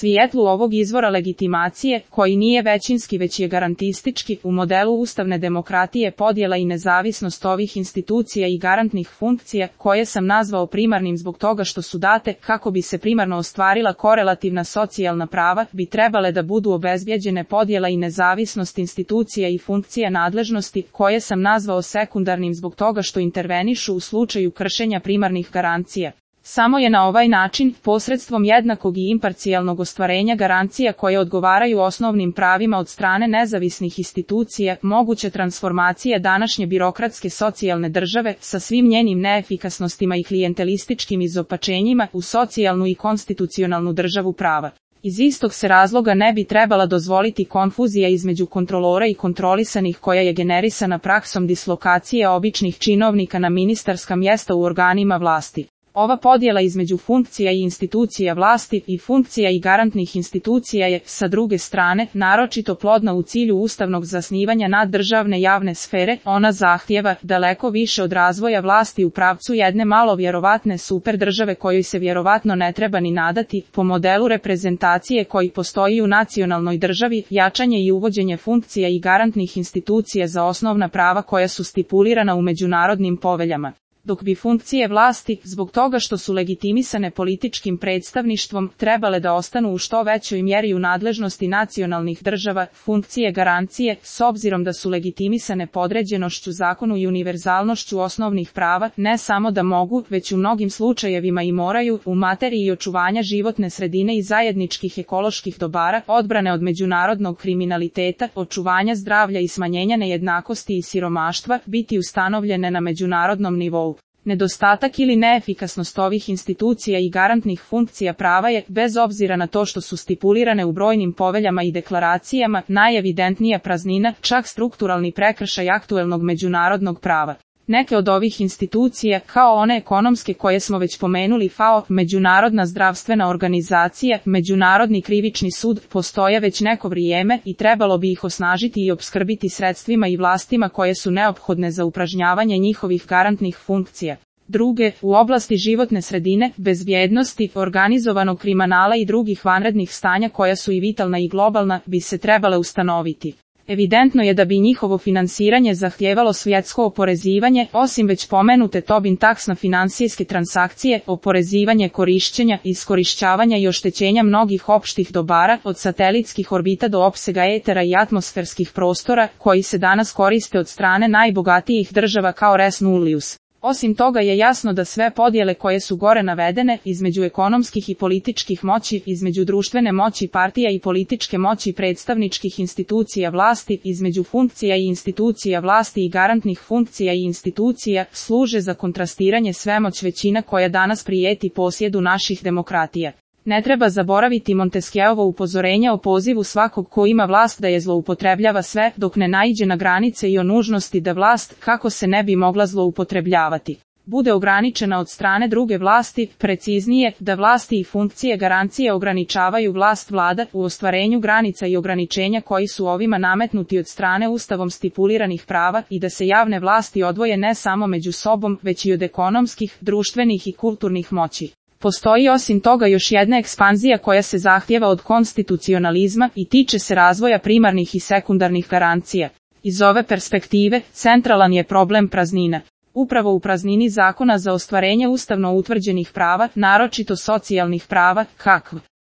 Svijetlu ovog izvora legitimacije, koji nije većinski već je garantistički, u modelu ustavne demokratije podjela i nezavisnost ovih institucija i garantnih funkcija, koje sam nazvao primarnim zbog toga što su date, kako bi se primarno ostvarila korelativna socijalna prava, bi trebale da budu obezbjeđene podjela i nezavisnost institucija i funkcija nadležnosti, koje sam nazvao sekundarnim zbog toga što intervenišu u slučaju kršenja primarnih garancija. Samo je na ovaj način, posredstvom jednakog i imparcijalnog ostvarenja garancija koje odgovaraju osnovnim pravima od strane nezavisnih institucija, moguće transformacija današnje birokratske socijalne države sa svim njenim neefikasnostima i klijentelističkim izopačenjima u socijalnu i konstitucionalnu državu prava. Iz istog se razloga ne bi trebala dozvoliti konfuzija između kontrolora i kontrolisanih koja je generisana praksom dislokacije običnih činovnika na ministarska mjesta u organima vlasti. Ova podjela između funkcija i institucija vlasti i funkcija i garantnih institucija je, sa druge strane, naročito plodna u cilju ustavnog zasnivanja naddržavne javne sfere. Ona zahtijeva daleko više od razvoja vlasti u pravcu jedne malo vjerovatne super države kojoj se vjerovatno ne treba ni nadati, po modelu reprezentacije koji postoji u nacionalnoj državi, jačanje i uvođenje funkcija i garantnih institucija za osnovna prava koja su stipulirana u međunarodnim poveljama. Dok bi funkcije vlasti, zbog toga što su legitimisane političkim predstavništvom, trebale da ostanu u što većoj mjeri u nadležnosti nacionalnih država, funkcije garancije, s obzirom da su legitimisane podređenošću zakonu i univerzalnošću osnovnih prava, ne samo da mogu, već u mnogim slučajevima i moraju, u materiji očuvanja životne sredine i zajedničkih ekoloških dobara, odbrane od međunarodnog kriminaliteta, očuvanja zdravlja i smanjenja nejednakosti i siromaštva, biti ustanovljene na međunarodnom nivou. Nedostatak ili neefikasnost ovih institucija i garantnih funkcija prava je, bez obzira na to što su stipulirane u brojnim poveljama i deklaracijama, najevidentnija praznina, čak strukturalni prekršaj aktuelnog međunarodnog prava. Neke od ovih institucija, kao one ekonomske koje smo već pomenuli, FAO, Međunarodna zdravstvena organizacija, Međunarodni krivični sud, postoje već neko vrijeme i trebalo bi ih osnažiti i opskrbiti sredstvima i vlastima koje su neophodne za upražnjavanje njihovih garantnih funkcija. Druge, u oblasti životne sredine, bezbjednosti, organizovanog kriminala i drugih vanrednih stanja koja su i vitalna i globalna, bi se trebale ustanoviti. Evidentno je da bi njihovo finansiranje zahtijevalo svjetsko oporezivanje, osim već pomenute Tobin taks na financijske transakcije, oporezivanje korišćenja, iskorišćavanja i oštećenja mnogih opštih dobara, od satelitskih orbita do opsega etera i atmosferskih prostora, koji se danas koriste od strane najbogatijih država kao res nullius. Osim toga je jasno da sve podjele koje su gore navedene, između ekonomskih i političkih moći, između društvene moći partija i političke moći predstavničkih institucija vlasti, između funkcija i institucija vlasti i garantnih funkcija i institucija, služe za kontrastiranje svemoć većina koja danas prijeti posjedu naših demokratija. Ne treba zaboraviti Montesquieuovo upozorenje o pozivu svakog ko ima vlast da je zloupotrebljava sve, dok ne naiđe na granice i o nužnosti da vlast, kako se ne bi mogla zloupotrebljavati, bude ograničena od strane druge vlasti, preciznije, da vlasti i funkcije garancije ograničavaju vlast vlada u ostvarenju granica i ograničenja koji su ovima nametnuti od strane ustavom stipuliranih prava i da se javne vlasti odvoje ne samo među sobom, već i od ekonomskih, društvenih i kulturnih moći. Postoji osim toga još jedna ekspanzija koja se zahtijeva od konstitucionalizma i tiče se razvoja primarnih i sekundarnih garancija. Iz ove perspektive, centralan je problem praznina. Upravo u praznini zakona za ostvarenje ustavno utvrđenih prava, naročito socijalnih prava, kakv.